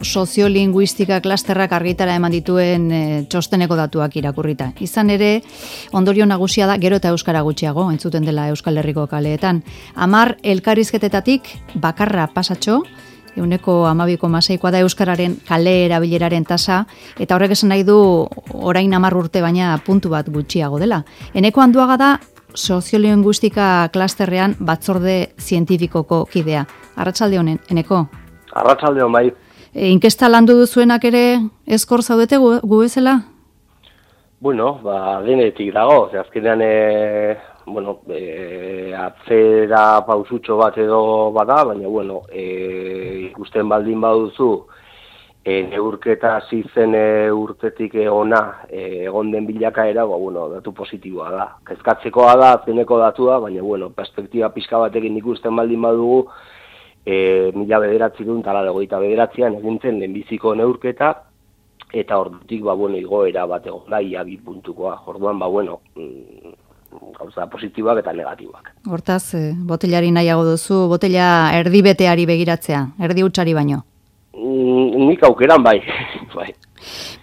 Soziolinguistika klasterrak argitara eman dituen txosteneko datuak irakurrita. Izan ere, ondorio nagusia da gero eta euskara gutxiago, entzuten dela Euskal Herriko kaleetan. 10 elkarrizketetatik bakarra pasatxo, 12,6 da euskararen kale erabileraren tasa, eta horrek esan nahi du orain 10 urte baina puntu bat gutxiago dela. Eneko Anduaga da soziolinguistika klasterrean batzorde zientifikoko kidea. Arratsalde honen, Eneko? Arratsalde hon bai. Inkesta landu duzuenak ere eskor zaudete gu bezala? Bueno, denetik dago. Azkenean, atzera pausutxo bat edo bada, baina, ikusten baldin baduzu, neurketa hasi zen urtetik ona egon den bilakaera, datu positiboa da. Kezkatzekoa da, azkeneko datua, baina, perspektiba pixka batekin ikusten baldin badugu, 1989an egintzen lehenbiziko neurketa, eta ordutik igoera bat egon da, ia 2 puntukoa. Orduan, gauza positiboak eta negatiboak. Hortaz, botelari nahiago duzu, botela erdibeteari begiratzea, erdi hutsari baino? Nik aukeran bai.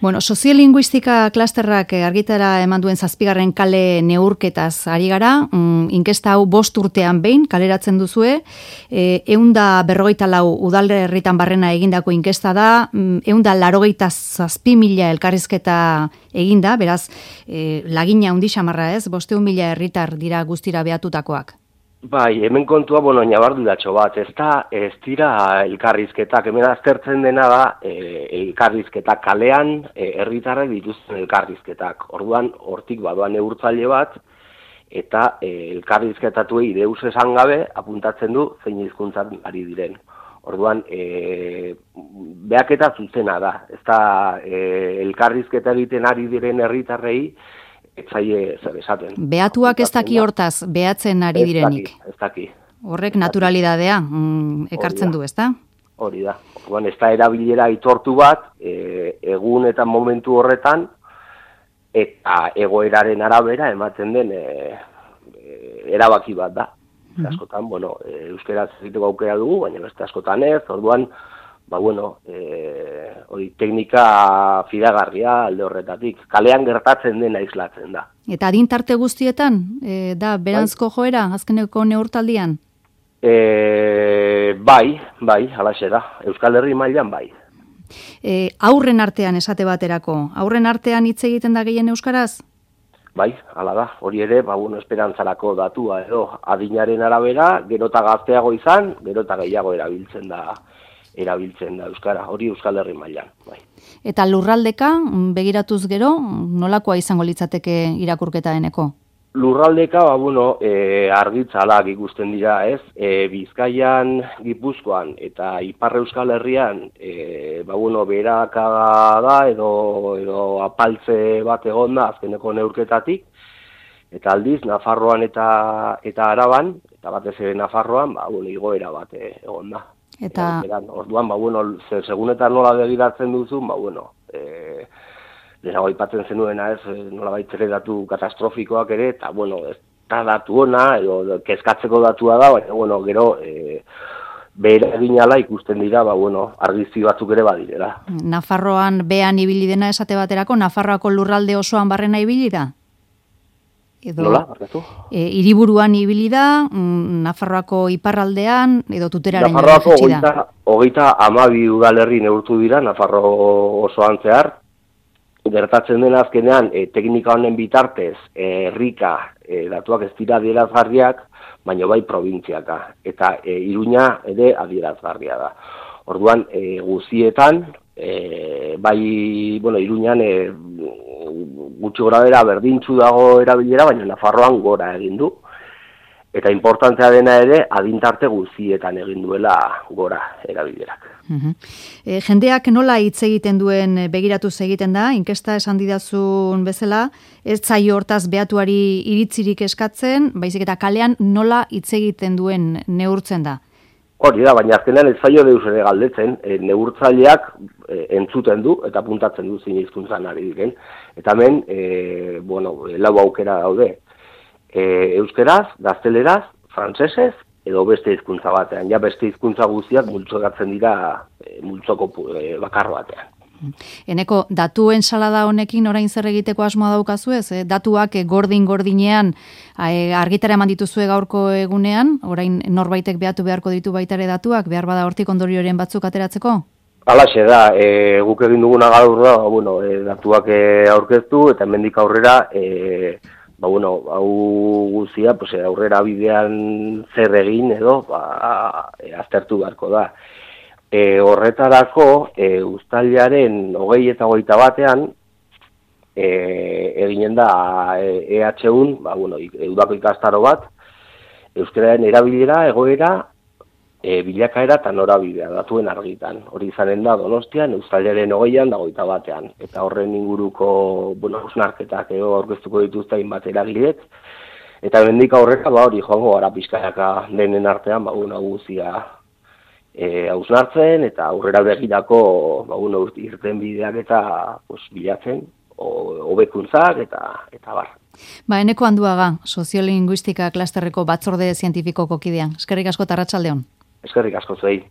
Bueno, soziolinguistika klasterrak argitara eman duen 7. kale neurketaz ari gara, inkesta hau 5 urtean behin kaleratzen duzue, 154 udalerritan barrena egindako inkesta da, 187.000 elkarrizketa eginda, beraz, lagina handi xamarra ez, 500.000 herritar dira guztira behatutakoak. Bai, hemen kontua, nabarduratxo bat, ez dira elkarrizketak, hemen aztertzen dena da elkarrizketak kalean, herritarrek dituzten elkarrizketak. Orduan, hortik badoan neurtzaile bat, eta elkarrizketatuei deus esan gabe, apuntatzen du zein hizkuntzan ari diren. Orduan, behaketa zuzena da, ez da elkarrizketa egiten ari diren herritarrei, etzaile zer esaten. Behatuak ez daki hortaz, behatzen ari direnik. Ez daki. Horrek naturalidadea ekartzen du, ez da? Hori da. Orduan, ez da erabilera aitortu bat, egun eta momentu horretan, eta egoeraren arabera ematen den erabaki bat da. Askotan, euskaraz egiteko aukera dugu, baina beste askotan ez, orduan, hori teknika fidagarria alde horretatik. Kalean gertatzen dena islatzen da. Eta adintarte guztietan, da berantzko joera, azkeneko neurtaldian? Bai, halaxe da. Euskal Herri mailan bai. Aurren artean esate baterako, aurren artean hitz egiten da gehien euskaraz? Bai, hala da. Hori ere, esperantzarako datua edo adinaren arabera, gero eta gazteago izan, gero eta gehiago erabiltzen da euskara, hori Euskal Herri mailan, bai. Eta lurraldeka, begiratuz gero, nolakoa izango litzateke irakurketa Eneko? Lurraldeka, argitzalak ikusten dira, ez? Bizkaian, Gipuzkoan eta Ipar Euskal Herrian, beraka da edo apaltze bat egon da azkeneko neurketatik, eta aldiz, Nafarroan eta Araban, eta batez ere Nafarroan, igoera bat egon da. Eta orduan, segunetan nola begiratzen duzu, lehenago aipatzen zenuena ez, nola baitzere datu katastrofikoak ere, eta, ez da datu ona, edo kezkatzeko datua da, baina, gero, behera eginala ikusten dira, argizki batzuk ere badirela. Nafarroan behan ibili dena esate baterako, Nafarroako lurralde osoan barrena ibili da? Nola, barkatu? Hiriburuan ibili da, Nafarroako iparraldean, edo tuteraren Nafarroako 32 udalerri neurtu dira, Nafarro osoan zehar. Gertatzen dena azkenean, teknika honen bitartez, herrika datuak ez dira adierazgarriak, baina bai probintziaka. Eta Iruña ere adierazgarria da. Orduan, guztietan, Iruñan gutxi gora bera berdintzu dago erabilera, baina Nafarroan gora egin du. Eta importantea dena ere, adintarte guztietan egin duela gora erabilerak. Jendeak nola hitz egiten duen begiratuz egiten da, inkesta esan didazun bezala, ez zaio hortaz behatuari iritzirik eskatzen, baizik eta kalean nola hitz egiten duen neurtzen da. Hori da, baina azkenean ez zaio deus ere galdetzen, neurtzaileak entzuten du eta puntatzen du zein hizkuntzan ari diren. Eta hemen, 4 aukera daude. Euskeraz, gazteleraz, frantsesez edo beste hizkuntza batean. Ja beste hizkuntza guztiak multzokatzen dira multzoko bakar batean. Eneko, datuen salada honekin orain zer egiteko asmoa daukazu ez? Datuak gordinean argitara eman dituzue gaurko egunean, orain norbaitek behatu beharko ditu baitare datuak, behar bada hortik ondorioren batzuk ateratzeko? Halaxe da, guk egin duguna gaur da, datuak aurkeztu eta hemendik aurrera, hau guztia, aurrera bidean zer egin edo, aztertu beharko da. Horretarako, uztailaren 20 eta 21 eginen da EH1, udako ikastaro bat, euskararen erabilera, egoera, bilakaera eta norabidea datuen argitan. Hori izanen da Donostian, uztailaren 20an da 21. Eta horren inguruko hausnarketak aurkeztuko dituzte hainbat eragilek. Eta hemendik aurrera hori joango gara pixkanaka denen artean guztia hausnartzen eta aurrera begirako irten bideak eta bilatzen, hobekuntzak eta bar. Eneko Anduaga, soziolinguistika klasterreko batzorde zientifikoko kidean. Eskerrik asko eta arratsalde on. Eskerrik asko zuei.